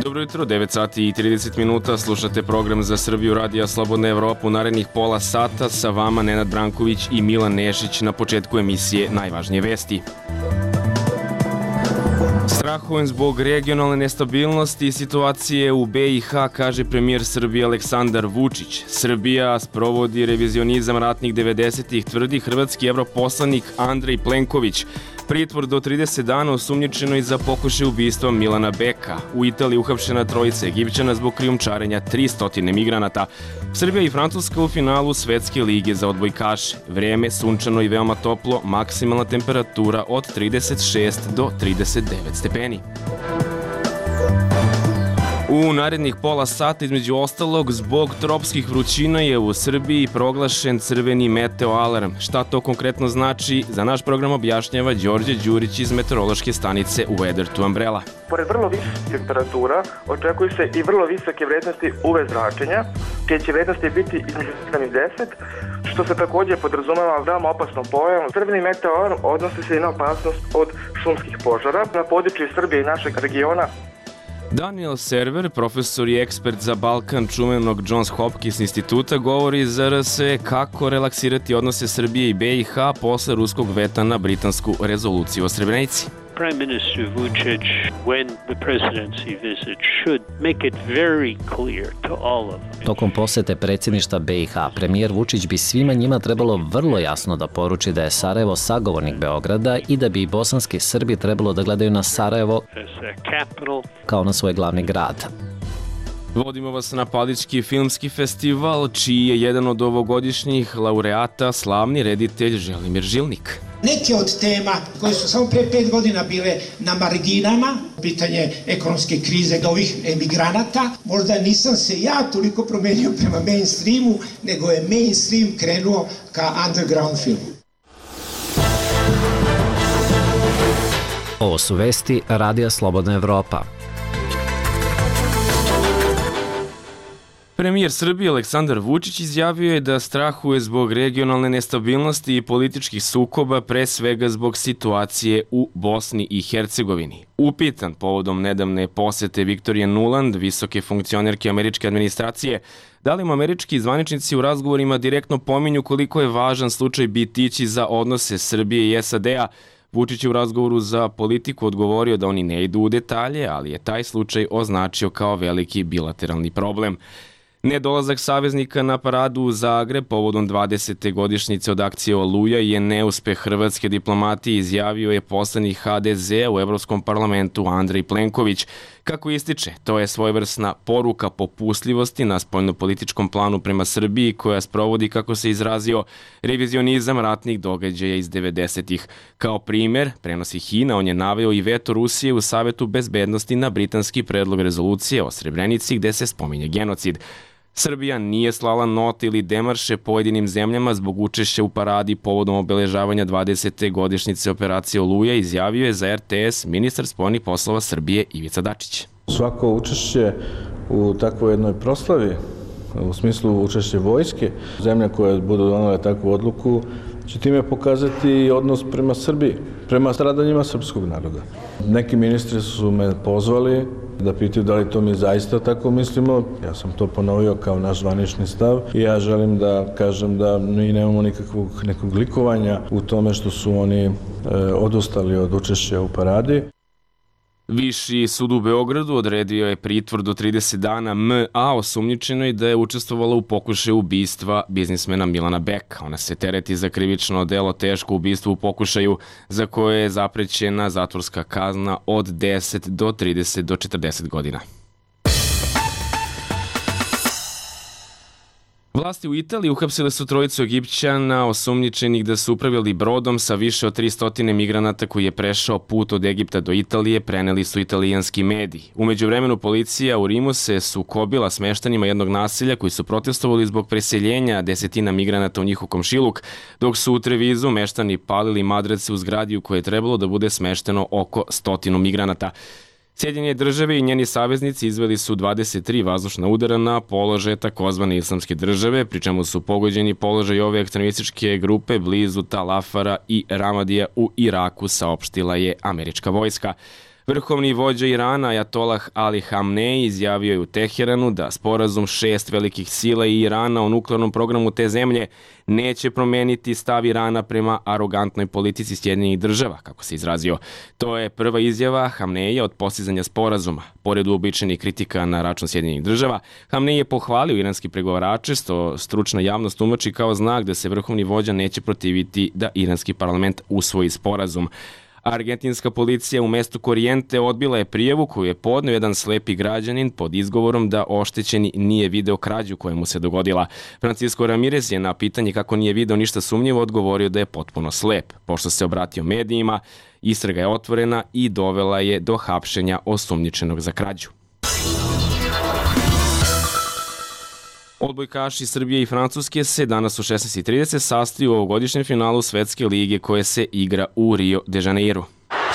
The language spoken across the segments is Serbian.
Dobro jutro, 9 sati i 30 minuta, slušate program za Srbiju Radija Slobodna Evropa. U narednih pola sata sa vama Nenad Branković i Milan Nešić. Na početku emisije najvažnije vesti. Strahujem zbog regionalne nestabilnosti i situacije u BiH, kaže premijer Srbije Aleksandar Vučić. Srbija sprovodi revizionizam ratnih 90-ih, tvrdi hrvatski evroposlanik Andrej Plenković. Pritvor do 30 dana osumnjičeno i za pokušaj ubistva Milana Beka. U Italiji uhapšena trojica Egipćana zbog krijumčarenja 300 migranata. Srbija i Francuska u finalu Svetske lige za odbojkaše. Vreme sunčano i veoma toplo, maksimalna temperatura od 36 do 39 stepeni. U narednih pola sata, između ostalog, zbog tropskih vrućina je u Srbiji proglašen crveni meteo alarm. Šta to konkretno znači, za naš program objašnjava Đorđe Đurić iz meteorološke stanice Weather to Umbrella. Pored vrlo visokih temperatura, očekuju se i vrlo visoke vrednosti UV zračenja, čije će vrednosti biti između 7 i 10, što se također podrazumeva veoma opasnom pojavom. Crveni meteo alarm odnosi se i na opasnost od šumskih požara na području Srbije i našeg regiona. Daniel Server, profesor i ekspert za Balkan čuvenog Johns Hopkins instituta, govori za RSE kako relaksirati odnose Srbije i BiH posle ruskog veta na britansku rezoluciju o Srebrenici. Prime Minister Vučić, when the presidency visit, should make it very clear to all of them. Tokom posete predsjedništva BiH, premijer Vučić bi svima njima trebalo vrlo jasno da poruči da je Sarajevo sagovornik Beograda i da bi i bosanski Srbi trebalo da gledaju na Sarajevo kao na svoj glavni grad. Vodimo vas na Palički filmski festival, čiji je jedan od ovogodišnjih laureata slavni reditelj Želimir Žilnik. Neke od tema koje su samo pre 5 godina bile na marginama, pitanje ekonomske krize ovih emigranata, možda nisam se ja toliko promenio prema mainstreamu, nego je mainstream krenuo ka underground filmu. Ovo su vesti Radija Slobodna Evropa. Premijer Srbije Aleksandar Vučić izjavio je da strahuje zbog regionalne nestabilnosti i političkih sukoba, pre svega zbog situacije u Bosni i Hercegovini. Upitan povodom nedavne posete Viktorije Nuland, visoke funkcionerke američke administracije, da li mu američki zvaničnici u razgovorima direktno pominju koliko je važan slučaj bitići za odnose Srbije i SAD-a, Vučić je u razgovoru za Politiku odgovorio da oni ne idu u detalje, ali je taj slučaj označio kao veliki bilateralni problem. Nedolazak saveznika na paradu u Zagreb povodom 20. godišnjice od akcije Oluja je neuspeh hrvatske diplomatije, izjavio je poslanik HDZ u Evropskom parlamentu Andrej Plenković. Kako ističe, to je svojevrsna poruka popustljivosti na spoljnopolitičkom planu prema Srbiji koja sprovodi, kako se izrazio, revizionizam ratnih događaja iz 90-ih. Kao primer, prenosi HINA, on je naveo i veto Rusije u Savetu bezbednosti na britanski predlog rezolucije o Srebrenici gde se spominje genocid. Srbija nije slala note ili demarše pojedinim zemljama zbog učešća u paradi povodom obeležavanja 20. godišnjice operacije Oluja, izjavio je za RTS ministar spoljnih poslova Srbije Ivica Dačić. Svako učešće u takvoj jednoj proslavi, u smislu učešće vojske, zemlja koja budu donale takvu odluku, će time pokazati odnos prema Srbiji, prema stradanjima srpskog naroda. Neki ministri su me pozvali da pitaju da li to mi zaista tako mislimo. Ja sam to ponovio kao naš zvanični stav i ja želim da kažem da mi nemamo nekog likovanja u tome što su oni odustali od učešća u paradi. Viši sud u Beogradu odredio je pritvor do 30 dana M.A. osumnjičenoj da je učestvovala u pokušaju ubistva biznismena Milana Beka. Ona se tereti za krivično delo teško ubistvo u pokušaju, za koje je zaprećena zatvorska kazna od 10 do 30 do 40 godina. Vlasti u Italiji uhapsile su trojicu Egipćana osumnjičenih da su upravljali brodom sa više od 300 migranata koji je prešao put od Egipta do Italije, preneli su italijanski mediji. U međuvremenu policija u Rimu se sukobila s meštanima jednog naselja koji su protestovali zbog preseljenja desetina migranata u njihov komšiluk, dok su u Trevizu meštani palili madrace u zgradi u kojoj je trebalo da bude smešteno oko 100 migranata. Sjedinjene države i njeni saveznici izveli su 23 vazdušna udara na položaje takozvane islamske države, pri čemu su pogođeni položaj ove ekstremističke grupe blizu Tal Afara i Ramadija u Iraku, saopštila je američka vojska. Vrhovni vođa Irana, Ajatolah Ali Hamnej, izjavio je u Teheranu da sporazum 6 velikih sila i Irana o nuklearnom programu te zemlje neće promeniti stav Irana prema arogantnoj politici Sjedinjenih država, kako se izrazio. To je prva izjava Hamneja od postizanja sporazuma. Pored uobičajenih kritika na račun Sjedinjenih država, Hamnej je pohvalio iranski pregovarače, što stručna javnost tumači kao znak da se vrhovni vođa neće protiviti da iranski parlament usvoji sporazum. Argentinska policija u mestu Korijente odbila je prijavu koju je podneo jedan slepi građanin pod izgovorom da oštećeni nije video krađu koja mu se dogodila. Francisco Ramirez je na pitanje kako nije video ništa sumnjivo odgovorio da je potpuno slep. Pošto se obratio medijima, istraga je otvorena i dovela je do hapšenja osumnjičenog za krađu. Odbojkaši Srbije i Francuske se danas u 16:30 sastaju u ovogodišnjem finalu Svetske lige koje se igra u Rio de Janeiro.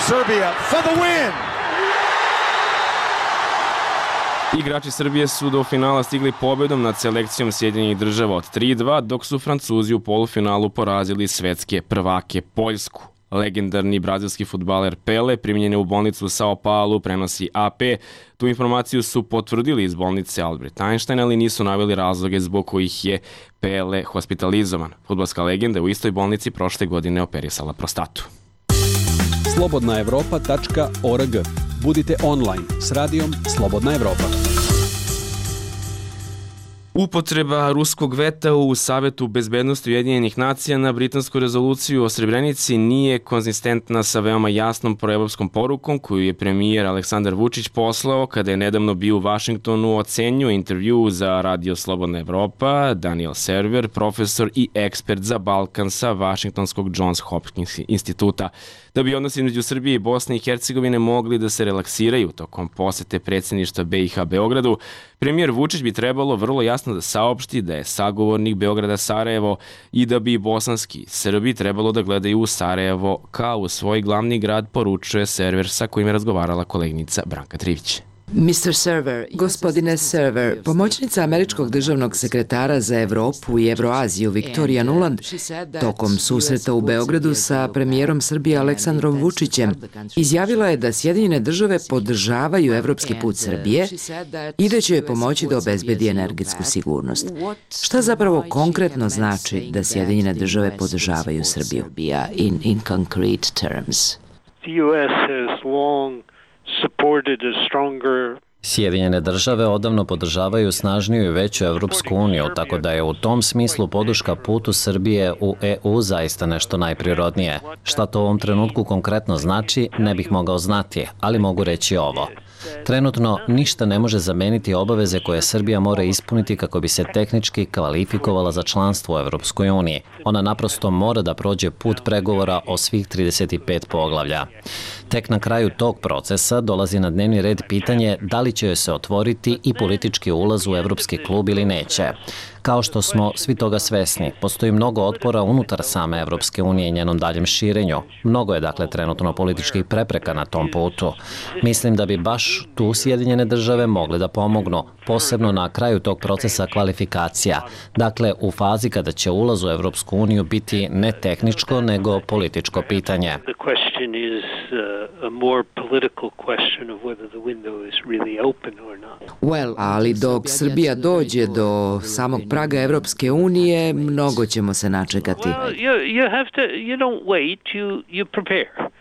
Serbia for the win! Igrači Srbije su do finala stigli pobedom nad selekcijom Sjedinjenih država od 3:2, dok su Francuzi u polufinalu porazili svetske prvake Poljsku. Legendarni brazilski fudbaler Pele primljen je u bolnicu u Sao Paulo, prenosi AP. Tu informaciju su potvrdili iz bolnice Albert Einstein, ali nisu naveli razloge zbog kojih je Pele hospitalizovan. Fudbalska legenda u istoj bolnici prošle godine operisala prostatu. slobodnaevropa.org. Budite online s radijom Slobodna Evropa. Upotreba ruskog veta u Savetu bezbednosti Ujedinjenih nacija na britansku rezoluciju o Srebrenici nije konzistentna sa veoma jasnom proevropskom porukom koju je premijer Aleksandar Vučić poslao kada je nedavno bio u Vašingtonu, ocenio intervju za Radio Slobodna Evropa Daniel Server, profesor i ekspert za Balkan sa Vašingtonskog Johns Hopkins instituta. Da bi odnosi između Srbije i Bosne i Hercegovine mogli da se relaksiraju tokom posete predsjedništva BiH Beogradu, premijer Vučić bi trebalo vrlo jasno da saopšti da je sagovornik Beograda Sarajevo i da bi bosanski Srbi trebalo da gledaju u Sarajevo kao u svoj glavni grad, poručuje Server sa kojim je razgovarala koleginica Branka Trivić. Gospodine Server, pomoćnica američkog državnog sekretara za Evropu i Evroaziju Viktorija Nuland tokom susreta u Beogradu sa premijerom Srbije Aleksandrom Vučićem izjavila je da Sjedinjene države podržavaju evropski put Srbije i da će joj pomoći da obezbedi energetsku sigurnost. Šta zapravo konkretno znači da Sjedinjene države podržavaju Srbiju? In concrete terms. The US has long supported a stronger Sjedinjene države odavno podržavaju snažniju i veću Evropsku uniju, tako da je u tom smislu podrška putu Srbije u EU zaista nešto najprirodnije. Šta to u ovom trenutku konkretno znači, ne bih mogao znati, ali mogu reći ovo. Trenutno ništa ne može zameniti obaveze koje Srbija mora ispuniti kako bi se tehnički kvalifikovala za članstvo u Evropskoj uniji. Ona naprosto mora da prođe put pregovora o svih 35 poglavlja. Tek na kraju tog procesa dolazi na dnevni red pitanje da li će joj se otvoriti i politički ulaz u Evropski klub ili neće. Kao što smo svi toga svesni, postoji mnogo otpora unutar same Evropske unije i njenom daljem širenju. Mnogo je dakle trenutno političkih prepreka na tom putu. Mislim da bi baš tu Sjedinjene države mogle da pomognu, posebno na kraju tog procesa kvalifikacija. Dakle, u fazi kada će ulaz u Evropsku uniju biti ne tehničko, nego političko pitanje. Ali dok Srbija dođe do samog praga Evropske unije, mnogo ćemo se načekati.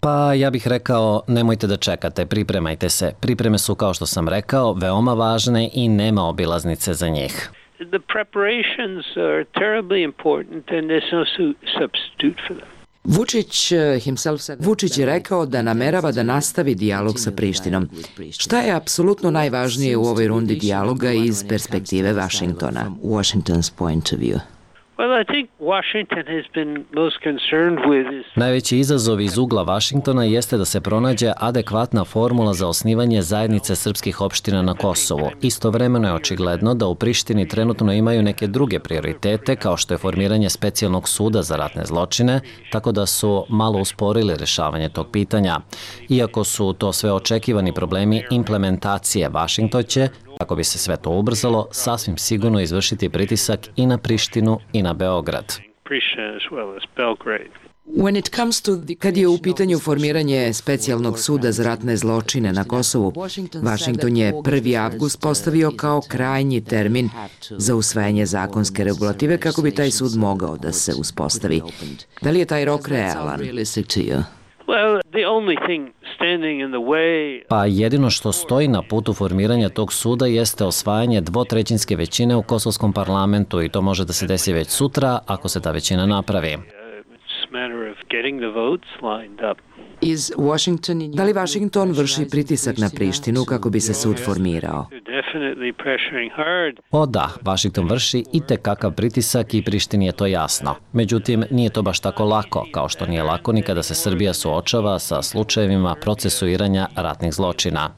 Pa ja bih rekao, nemojte da čekate, pripremajte se. Pripreme su, kao što sam rekao, veoma važne i nema obilaznice za njih. The preparations are terribly important and there's no substitute for them. Vučić je rekao da namerava da nastavi dijalog sa Prištinom. Šta je apsolutno najvažnije u ovoj rundi dijaloga iz perspektive Vašingtona? Washington's point of view. Najveći izazov iz ugla Vašingtona jeste da se pronađe adekvatna formula za osnivanje zajednice srpskih opština na Kosovu. Istovremeno je očigledno da u Prištini trenutno imaju neke druge prioritete, kao što je formiranje specijalnog suda za ratne zločine, tako da su malo usporili rešavanje tog pitanja. Iako su to sve očekivani problemi implementacije, Vašington će, kako bi se sve to ubrzalo, sasvim sigurno izvršiti pritisak i na Prištinu i na Beograd. Kad je u pitanju formiranje specijalnog suda za ratne zločine na Kosovu, Vašington je 1. avgust postavio kao krajnji termin za usvajanje zakonske regulative kako bi taj sud mogao da se uspostavi. Da li je taj rok realan? Pa jedino što stoji na putu formiranja tog suda jeste osvajanje 2/3 većine u kosovskom parlamentu i to može da se desi već sutra ako se ta većina napravi. Da li Vašington vrši pritisak na Prištinu kako bi se sud formirao? O da, Vašington vrši itekakav pritisak i Prištini je to jasno. Međutim, nije to baš tako lako, kao što nije lako ni kada se Srbija suočava sa slučajevima procesuiranja ratnih zločina.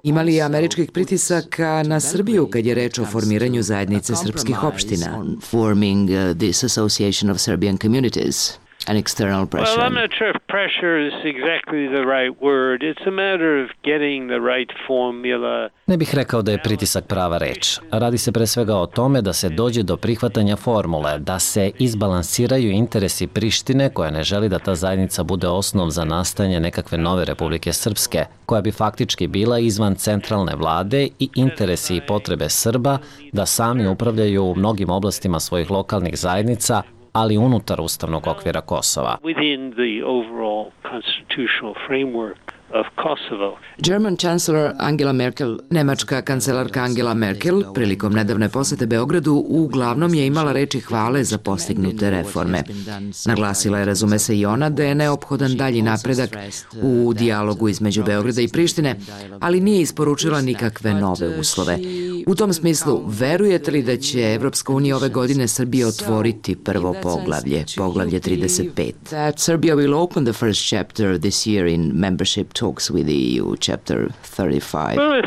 Ima li američkih pritisaka na Srbiju kad je reč o formiranju zajednice srpskih opština? An external pressure. Well, I'm not sure if pressure is exactly the right word. It's a matter of getting the right formula. Ne bih rekao da je pritisak prava reč. Radi se pre svega o tome da se dođe do prihvatanja formule, da se izbalansiraju interesi Prištine, koja ne želi da ta zajednica bude osnov za nastajanje nekakve nove Republike Srpske, koja bi faktički bila izvan centralne vlade, i interesi i potrebe Srba da sami upravljaju u mnogim oblastima svojih lokalnih zajednica, ali unutar ustavnog okvira Kosova. German Chancellor Angela Merkel, nemačka kancelarka Angela Merkel, prilikom nedavne posete Beogradu, uglavnom je imala reči hvale za postignute reforme. Naglasila je, razume se i ona, da je neophodan dalji napredak u dijalogu između Beograda i Prištine, ali nije isporučila nikakve nove uslove. U tom smislu, verujete li da će Evropska unija ove godine Srbije otvoriti prvo poglavlje, poglavlje 35? That Serbia will open the first chapter this year in membership talks with the EU, chapter 35.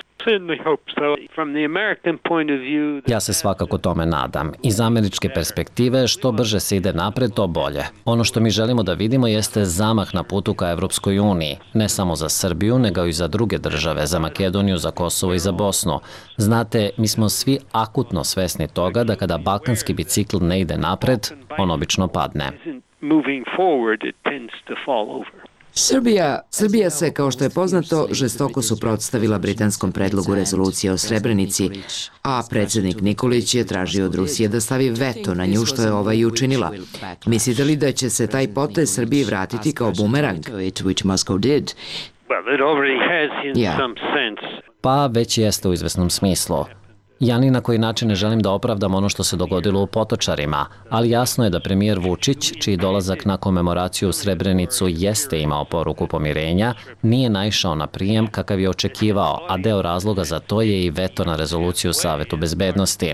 Ja se svakako tome nadam. Iz američke perspektive, što brže se ide napred, to bolje. Ono što mi želimo da vidimo jeste zamah na putu ka Evropskoj uniji. Ne samo za Srbiju, nego i za druge države, za Makedoniju, za Kosovo i za Bosnu. Znate, mi smo svi akutno svesni toga da kada balkanski bicikl ne ide napred, on obično padne. Srbija se, kao što je poznato, žestoko suprotstavila britanskom predlogu rezolucije o Srebrenici, a predsjednik Nikolić je tražio od Rusije da stavi veto na nju, što je ova i učinila. Mislite li da će se taj potez Srbiji vratiti kao bumerang? Pa već jeste u izvesnom smislu. Ja ni na koji način ne želim da opravdam ono što se dogodilo u Potočarima, ali jasno je da premijer Vučić, čiji dolazak na komemoraciju u Srebrenicu jeste imao poruku pomirenja, nije naišao na prijem kakav je očekivao, a deo razloga za to je i veto na rezoluciju Savetu bezbednosti.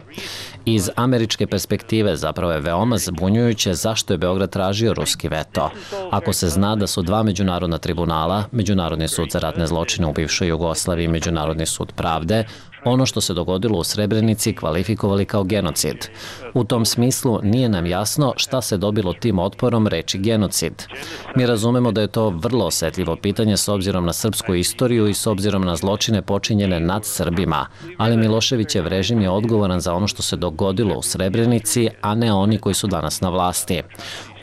Iz američke perspektive zapravo je veoma zbunjujuće zašto je Beograd tražio ruski veto. Ako se zna da su dva međunarodna tribunala, Međunarodni sud za ratne zločine u bivšoj Jugoslaviji i Međunarodni sud pravde, ono što se dogodilo u Srebrenici kvalifikovali kao genocid. U tom smislu nije nam jasno šta se dobilo tim otporom reči genocid. Mi razumemo da je to vrlo osetljivo pitanje s obzirom na srpsku istoriju i s obzirom na zločine počinjene nad Srbima, ali Miloševićev režim je odgovoran za ono što se dogodilo u Srebrenici, a ne oni koji su danas na vlasti.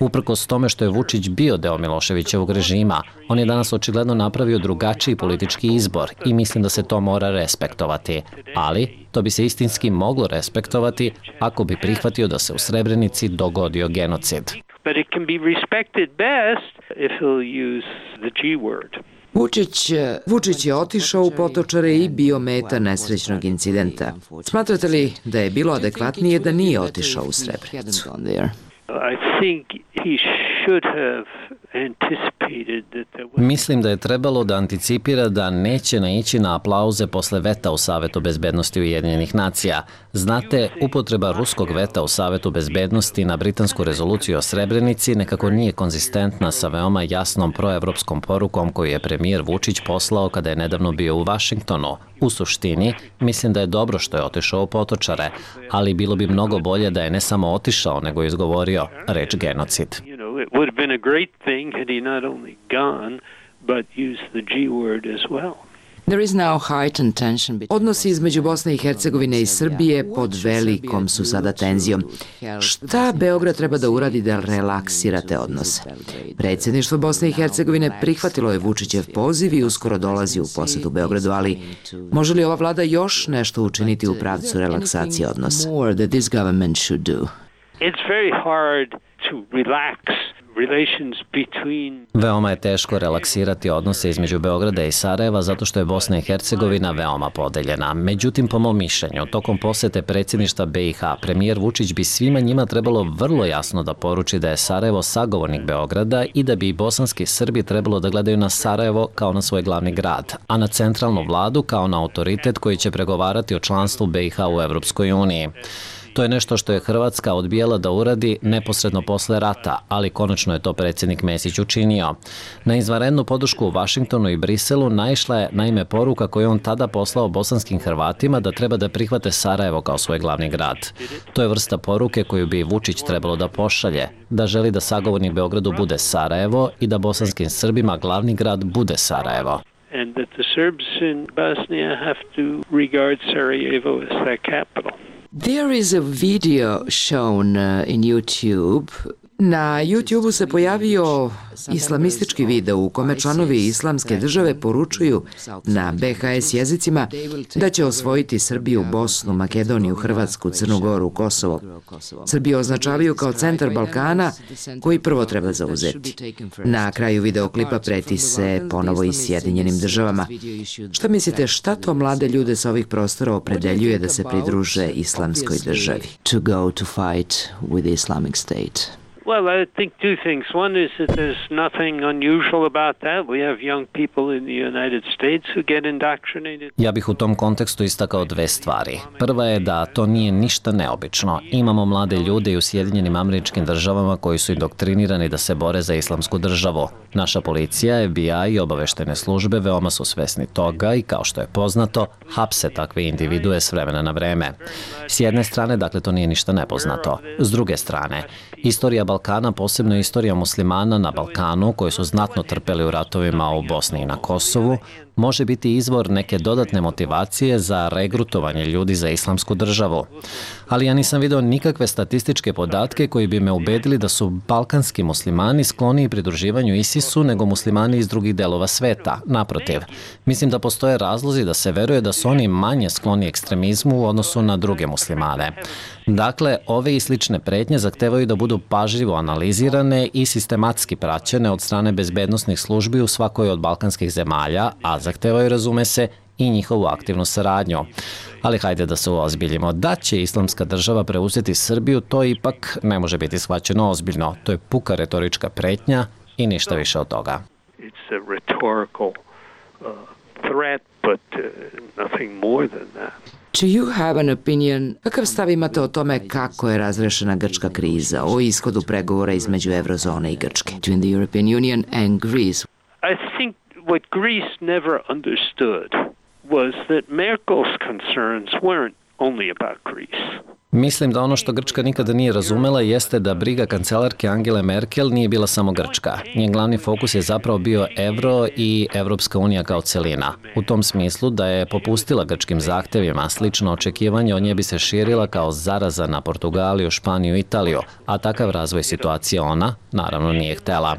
Uprkos tome što je Vučić bio deo Miloševićevog režima, on je danas očigledno napravio drugačiji politički izbor i mislim da se to mora respektovati. Ali to bi se istinski moglo respektovati ako bi prihvatio da se u Srebrenici dogodio genocid. Vučić je otišao u Potočare i bio meta nesrećnog incidenta. Smatrate li da je bilo adekvatnije da nije otišao u Srebrenicu? I think he Mislim da je trebalo da anticipira da neće naići na aplauze posle veta u Savetu bezbednosti Ujedinjenih nacija. Znate, upotreba ruskog veta u Savetu bezbednosti na britansku rezoluciju o Srebrenici nekako nije konzistentna sa veoma jasnom proevropskom porukom koju je premijer Vučić poslao kada je nedavno bio u Vašingtonu. U suštini, mislim da je dobro što je otišao u Potočare, ali bilo bi mnogo bolje da je ne samo otišao, nego je izgovorio reč genocid. It would have been a great thing had he not only gone, but used the G word as well. Odnosi između Bosne i Hercegovine i Srbije pod velikom su sada tenzijom. Šta Beograd treba da uradi da relaksira te odnose? Predsjedništvo Bosne i Hercegovine prihvatilo je Vučićev poziv i uskoro dolazi u posetu Beogradu, ali može li ova vlada još nešto učiniti u pravcu relaksacije odnosa? It's very hard to relax relations between... Veoma je teško relaksirati odnose između Beograda i Sarajeva zato što je Bosna i Hercegovina veoma podeljena. Međutim, po mom mišljenju, tokom posete predsjedništva BiH, premijer Vučić bi svima njima trebalo vrlo jasno da poruči da je Sarajevo sagovornik Beograda i da bi i bosanski Srbi trebalo da gledaju na Sarajevo kao na svoj glavni grad, a na centralnu vladu kao na autoritet koji će pregovarati o članstvu BiH u Evropskoj uniji. To je nešto što je Hrvatska odbijala da uradi neposredno posle rata, ali konačno je to predsjednik Mesić učinio. Na izvanrednu podršku u Vašingtonu i Briselu naišla je naime poruka koju on tada poslao bosanskim Hrvatima da treba da prihvate Sarajevo kao svoj glavni grad. To je vrsta poruke koju bi Vučić trebalo da pošalje, da želi da sagovornik Beogradu bude Sarajevo i da bosanskim Srbima glavni grad bude Sarajevo. And that the Serbs in Bosnia have to regard Sarajevo as their capital. There is a video shown in YouTube. Na YouTube-u se pojavio islamistički video u kome članovi islamske države poručuju na BHS jezicima da će osvojiti Srbiju, Bosnu, Makedoniju, Hrvatsku, Crnu Goru, Kosovo. Srbiju označavaju kao centar Balkana koji prvo treba zauzeti. Na kraju videoklipa preti se ponovo i Sjedinjenim državama. Šta mislite, šta to mlade ljude sa ovih prostora opredeljuje da se pridruže islamskoj državi? To go to fight with the Islamic State. Well, I think two things. One is that there's nothing unusual about that. We have young people in the United States who get indoctrinated. Ja bih u tom kontekstu istakao dve stvari. Prva je da to nije ništa neobično. Imamo mlade ljude i u Sjedinjenim Američkim Državama koji su indoktrinirani da se bore za islamsku državu. Naša policija, FBI i obaveštene službe veoma su svesni toga i, kao što je poznato, hapse takve individue s vremena na vreme. S jedne strane, dakle, to nije ništa nepoznato. S druge strane, istorija Balkana, posebno istorija muslimana na Balkanu, koji su znatno trpeli u ratovima u Bosni i na Kosovu, može biti izvor neke dodatne motivacije za regrutovanje ljudi za islamsku državu. Ali ja nisam video nikakve statističke podatke koji bi me ubedili da su balkanski muslimani skloniji pridruživanju ISIS-u nego muslimani iz drugih delova sveta. Naprotiv, mislim da postoje razlozi da se veruje da su oni manje skloni ekstremizmu u odnosu na druge muslimane. Dakle, ove i slične pretnje zahtevaju da budu pažljivo analizirane i sistematski praćene od strane bezbednosnih službi u svakoj od balkanskih zemalja, a zahtevaju, razume se, i njihovu aktivnu saradnju. Ali hajde da se uozbiljimo. Da će islamska država preuzeti Srbiju, to ipak ne može biti shvaćeno ozbiljno. To je puka retorička pretnja i ništa više od toga. It's a rhetorical threat, but nothing more than that. Do you have an opinion? Kakav stav imate o tome kako je razrešena grčka kriza, o ishodu pregovora između Eurozone i Grčke? Between the European Union and Greece. I think what Greece never understood was that Merkel's concerns weren't only about Greece. Mislim da ono što Grčka nikada nije razumela jeste da briga kancelarke Angele Merkel nije bila samo Grčka. Njen glavni fokus je zapravo bio evro i Evropska unija kao celina. U tom smislu da je popustila grčkim zahtevima, slično očekivanje od nje bi se širila kao zaraza na Portugaliju, Španiju i Italiju, a takav razvoj situacije ona, naravno, nije htela.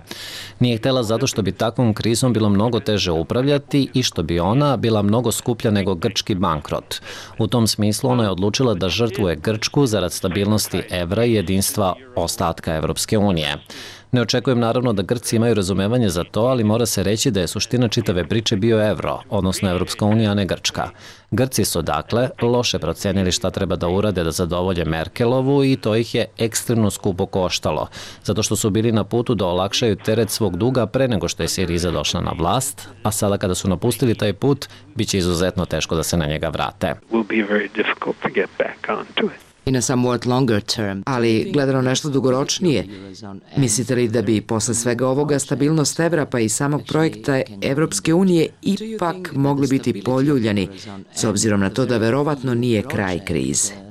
Nije htela zato što bi takvom krizom bilo mnogo teže upravljati i što bi ona bila mnogo skuplja nego grčki bankrot. U tom smislu ona je odlučila da žrtvuje Grčku zarad stabilnosti evra i jedinstva ostatka Evropske unije. Ne očekujem naravno da Grci imaju razumevanje za to, ali mora se reći da je suština čitave priče bio evro, odnosno Evropska unija, a ne Grčka. Grci su dakle loše procenili šta treba da urade da zadovolje Merkelovu i to ih je ekstremno skupo koštalo, zato što su bili na putu da olakšaju teret svog duga pre nego što je Siriza došla na vlast, a sada kada su napustili taj put, bit će izuzetno teško da se na njega vrate. I na somewhat longer term, ali gledano nešto dugoročnije, mislite li da bi posle svega ovoga stabilnost evra pa i samog projekta Evropske unije ipak mogli biti poljuljani, s obzirom na to da verovatno nije kraj krize?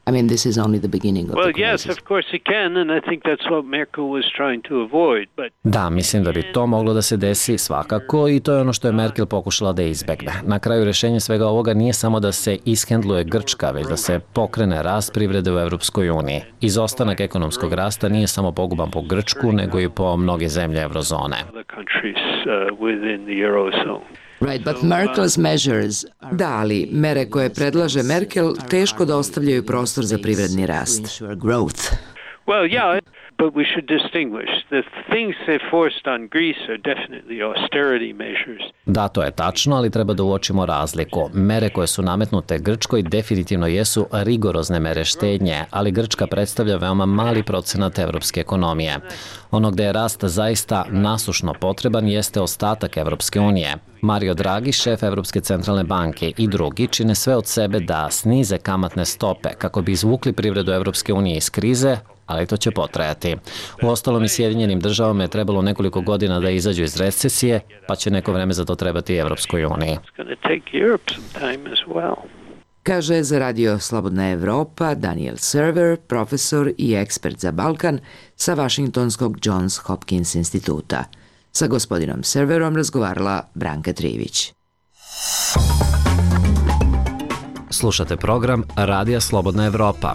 I mean, this is only the beginning of the crisis. Well, yes, of course it can, and I think that's what Merkel was trying to avoid. But Da, mislim da bi to moglo da se desi svakako i to je ono što je Merkel pokušala da izbegne. Na kraju rešenje svega ovoga nije samo da se ishendluje Grčka, već da se pokrene rast privrede u Evropskoj uniji. Izostanak ekonomskog rasta nije samo poguban po Grčku, nego i po mnoge zemlje eurozone. Right, but Merkel's measures... Da, ali mere koje predlaže Merkel teško da ostavljaju prostor za privredni rast. Well, yeah, but we should distinguish. The things they forced on Greece are definitely austerity measures. Da, to je tačno, ali treba da uočimo razliku. Mere koje su nametnute Grčkoj definitivno jesu rigorozne mere štednje, ali Grčka predstavlja veoma mali procenat evropske ekonomije. Ono gde je rast zaista nasušno potreban jeste ostatak Evropske unije. Mario Draghi, šef Evropske centralne banke i drugi čine sve od sebe da snize kamatne stope kako bi izvukli privredu Evropske unije iz krize, ali to će potrajati. Uostalom i Sjedinjenim državama je trebalo nekoliko godina da izađu iz recesije, pa će neko vreme za to trebati i Evropskoj uniji. Kaže za Radio Slobodna Evropa Daniel Server, profesor i ekspert za Balkan sa Vašingtonskog Johns Hopkins instituta. Sa gospodinom Serverom razgovarala Branka Trivić. Slušate program Radija Slobodna Evropa.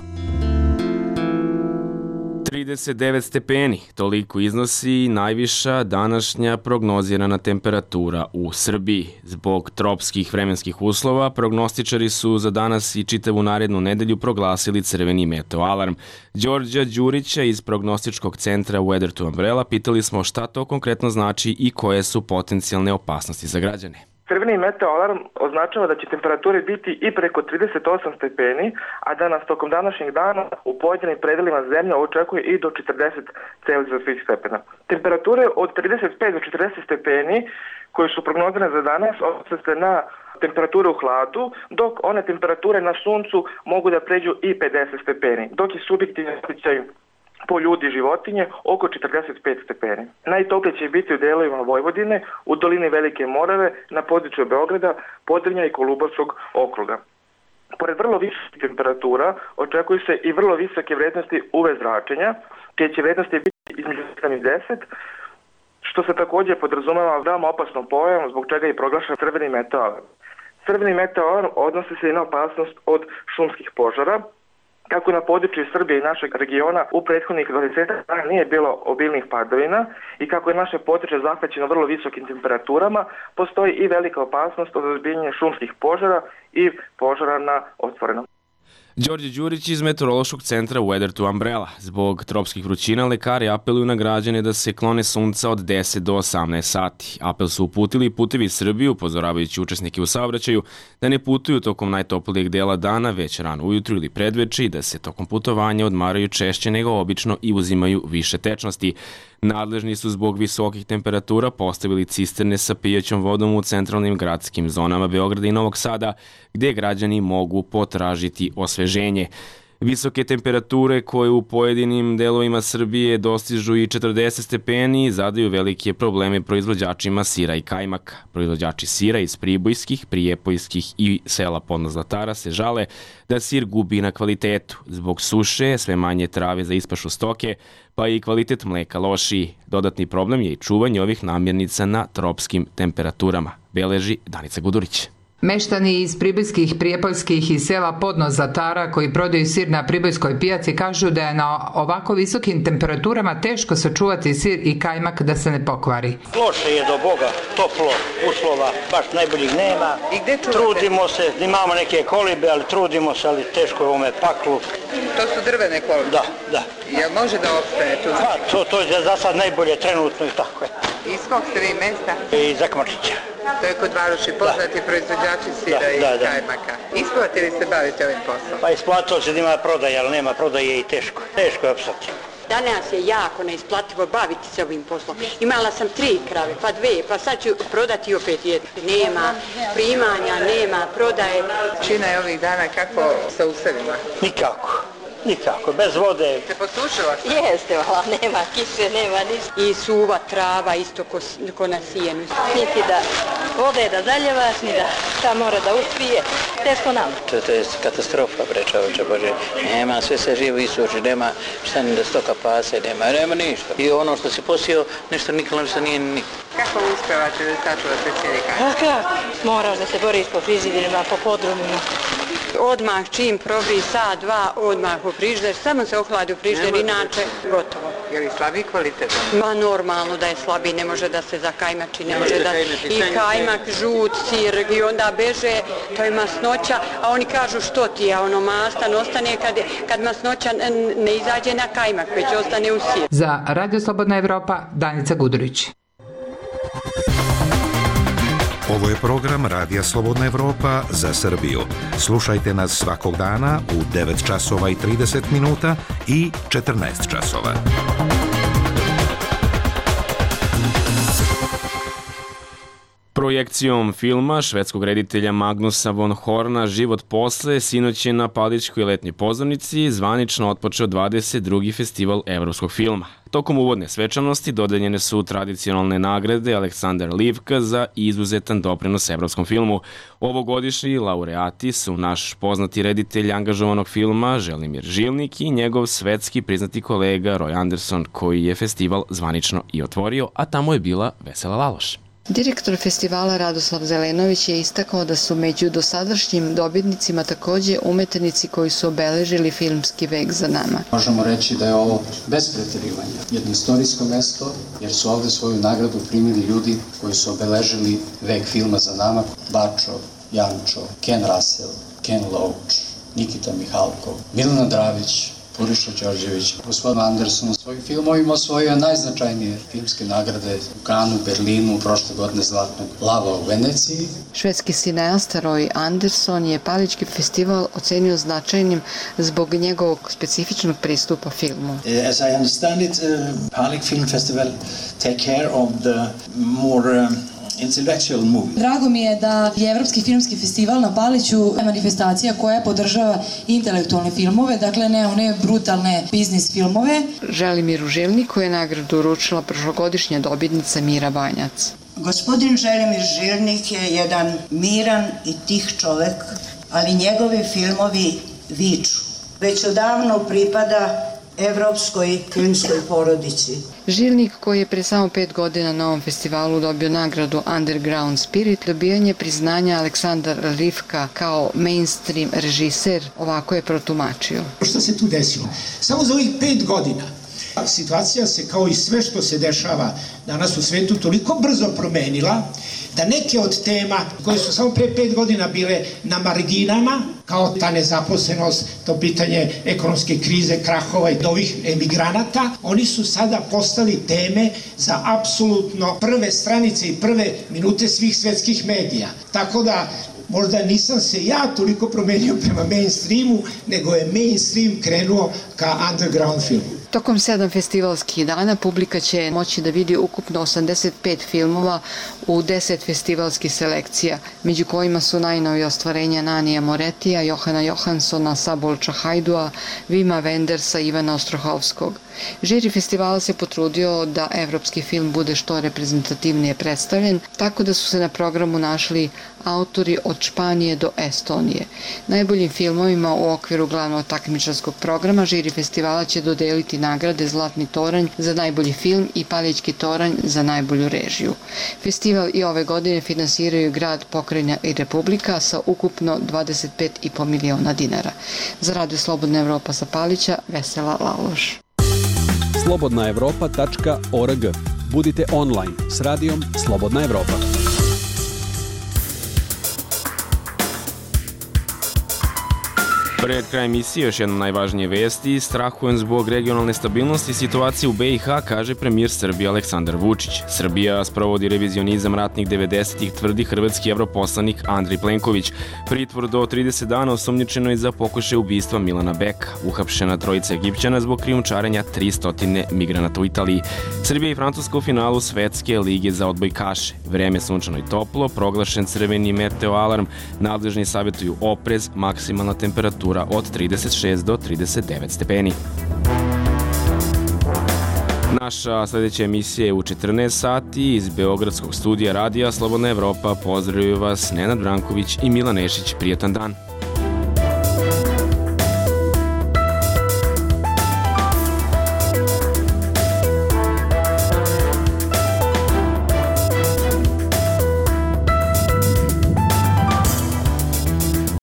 39 stepeni, toliko iznosi najviša današnja prognozirana temperatura u Srbiji. Zbog tropskih vremenskih uslova, prognostičari su za danas i čitavu narednu nedelju proglasili crveni meteo alarm. Đorđa Đurića iz prognostičkog centra Weather to Umbrella pitali smo šta to konkretno znači i koje su potencijalne opasnosti za građane. Crveni meteo alarm označava da će temperature biti i preko 38 stepeni, a da nas tokom današnjeg dana u pojedinim predelima zemlje očekuje i do 40 celzijusovih stepena. Temperature od 35 do 40 stepeni koje su prognozirane za danas odnose se na temperature u hladu, dok one temperature na suncu mogu da pređu i 50 stepeni, dok je subjektivni osjećaj po ljudi i životinje oko 45 stepeni. Najtoplije će biti u delovima Vojvodine, u dolini Velike Morave, na području Beograda, Podrinja i Kolubarskog okruga. Pored vrlo visokih temperatura, očekuju se i vrlo visoke vrednosti UV zračenja, čije će vrednosti biti između 7 i 10, što se također podrazumeva veoma opasnom pojavom, zbog čega je proglašen crveni meteo alarm. Crveni meteo alarm odnosi se i na opasnost od šumskih požara. Kako na području Srbije i našeg regiona u prethodnih 20 dana nije bilo obilnih padavina i kako je naše područje zahvaćeno vrlo visokim temperaturama, postoji i velika opasnost od ozbiljnjenja šumskih požara i požara na otvorenom. Đorđe Đurić iz meteorološkog centra Weather to Umbrella. Zbog tropskih vrućina lekari apeluju na građane da se klone sunca od 10 do 18 sati. Apel su uputili Putevi Srbije, upozoravajući učesnike u saobraćaju da ne putuju tokom najtoplijeg dela dana, već rano ujutru ili predveče i da se tokom putovanja odmaraju češće nego obično i uzimaju više tečnosti. Nadležni su zbog visokih temperatura postavili cisterne sa pijaćom vodom u centralnim gradskim zonama Beograda i Novog Sada, gde građani mogu potražiti osveženje. Visoke temperature koje u pojedinim delovima Srbije dostižu i 40 stepeni zadaju velike probleme proizvođačima sira i kajmaka. Proizvođači sira iz pribojskih, prijepojskih i sela Podno Zlatara se žale da sir gubi na kvalitetu. Zbog suše, sve manje trave za ispašu stoke, pa i kvalitet mleka lošiji. Dodatni problem je i čuvanje ovih namirnica na tropskim temperaturama, beleži Danica Gudurić. Meštani iz pribojskih, prijepoljskih i sela Podno Zatara koji prodaju sir na pribojskoj pijaci kažu da je na ovako visokim temperaturama teško sačuvati sir i kajmak da se ne pokvari. Loše je do Boga, toplo, uslova, baš najboljih nema. I gde čuvate? Trudimo se, imamo neke kolibe, ali trudimo se, ali teško je ovome paklu. To su drvene kolibe? Da. Jel može da opstane tu? Pa, to je za sad najbolje trenutno i tako je. Iz kog ste vi mesta? Iz Akmačića. To je kod Varoši poznati proizvođači sira i kajmaka. Isplati li se baviti ovim poslom? Pa isplatilo se da ima prodaje, ali nema prodaje i teško. Teško je opstati. Danas je jako neisplativo baviti se ovim poslom. Imala sam 3 krave, pa 2, pa sad ću prodati opet jednu. Nema primanja, nema prodaje. Čina je ovih dana kako sa usevima? Nikako, bez vode. Se posušila? Jeste, vala, nema kiše, nema ništa. I suva trava isto ko na sijenu. Niti da vode da zaljevaš, ni da šta mora da uspije. Teško nam. To je katastrofa, bre čoveče Bože. Nema, sve se živo isuši, nema šta ni da stoka pase, nema ništa. I ono što si posio, nešto nikolo što nije ni. Kako uspevate da sačuvate cijeli kaj? A kako? Moraš da se boriš po frižidima, po podrumima. Odmah čim probri sat, 2, odmah u frižder, samo se ohladi u frižder, inače gotovo. Je li slabiji kvalitet? Ma normalno da je slabiji, ne može da se zakajmači, ne može da... I kajmak, žut, sir, i onda beže, to je masnoća, a oni kažu što ti je, ono mastan ostane kad masnoća ne izađe na kajmak, već ostane u sir. Za Radio Slobodna Evropa, Danica Gudurić. Ovo je program Radija Slobodna Evropa za Srbiju. Slušajte nas svakog dana u 9 časova i 30 minuta i 14 časova. Projekcijom filma švedskog reditelja Magnusa von Horna Život posle sinoć je na Paličkoj letnjoj pozornici zvanično otpočeo 22. festival evropskog filma. Tokom uvodne svečanosti dodeljene su tradicionalne nagrade Aleksandar Livka za izuzetan doprinos evropskom filmu. Ovogodišnji laureati su naš poznati reditelj angažovanog filma Želimir Žilnik i njegov svetski priznati kolega Roy Anderson, koji je festival zvanično i otvorio, a tamo je bila Vesela Laloš. Direktor festivala Radoslav Zelenović je istakao da su među dosadašnjim dobitnicima takođe umetnici koji su obeležili filmski vek za nama. Možemo reći da je ovo bez preterivanja jedno istorijsko mesto, jer su ovde svoju nagradu primili ljudi koji su obeležili vek filma za nama. Bačo, Jančo, Ken Russell, Ken Loach, Nikita Mihalkov, Milena Dravić, Puriša Đorđević, gospodin Anderson. Svojim filmovima osvojio najznačajnije filmske nagrade u Kanu, Berlinu, prošle godine Zlatnog lava u Veneciji. Švedski cineasta Roy Anderson je Palički festival ocenio značajnim zbog njegovog specifičnog pristupa filmu. As I understand it, Palik Film Festival take care of the more intellectual movie. Drago mi je da je Evropski filmski festival na Paliću manifestacija koja podržava intelektualne filmove, dakle ne one brutalne biznis filmove. Želimiru Žilniku je nagradu uručila prošlogodišnja dobitnica Mira Banjac. Gospodin Želimir Žilnik je jedan miran i tih čovek, ali njegovi filmovi viču. Već odavno pripada evropskoj filmskoj porodici. Žilnik, koji je pre samo 5 godina na ovom festivalu dobio nagradu Underground Spirit, dobijanje priznanja Aleksandar Livka kao mainstream režiser, ovako je protumačio. Što se tu desilo? Samo za ovih 5 godina situacija se, kao i sve što se dešava danas u svetu, toliko brzo promenila da neke od tema koje su samo pre 5 godina bile na marginama, kao ta nezaposlenost, to pitanje ekonomske krize, krahova i ovih emigranata, oni su sada postali teme za apsolutno prve stranice i prve minute svih svetskih medija. Tako da možda nisam se ja toliko promenio prema mainstreamu, nego je mainstream krenuo ka underground filmu. Tokom 7 festivalskih dana publika će moći da vidi ukupno 85 filmova u 10 festivalskih selekcija, među kojima su najnovije ostvarenja Nanija Moretija, Johana Johanssona, Sabolča Hajdua, Vima Wendersa i Ivana Ostrohovskog. Žiri festivala se potrudio da evropski film bude što reprezentativnije predstavljen, tako da su se na programu našli autori od Španije do Estonije. Najboljim filmovima u okviru glavnog takmičarskog programa žiri festivala će dodeliti nagrade Zlatni toranj za najbolji film i Paljićki toranj za najbolju režiju. Festival i ove godine finansiraju grad, pokrajina i republika sa ukupno 25,5 miliona dinara. Za Radio Slobodna Evropa sa Palića, Vesela Laloš. slobodnaevropa.org. Budite online s radijom Slobodna Evropa. Pred kraj emisije još jedna najvažnije vesti. Strahujem zbog regionalne stabilnosti situacije u BiH, kaže premijer Srbije Aleksandar Vučić. Srbija sprovodi revizionizam ratnih 90-ih, tvrdi hrvatski evroposlanik Andrej Plenković. Pritvor do 30 dana osumnjičeno je za pokušaj ubistva Milana Beka. Uhapšena trojica Egipćana zbog krijumčarenja 300 migranata u Italiji. Srbija i Francuska u finalu Svetske lige za odbojkaše. Vreme sunčano i toplo, proglašen crveni meteo alarm. Nadležni savjetuju oprez, maksimalna temperatura od 36 do 39 stepeni. Naša sljedeća emisija je u 14 sati iz Beogradskog studija Radija Slobodna Evropa. Pozdravljaju vas Nenad Branković i Milan Nešić. Prijetan dan.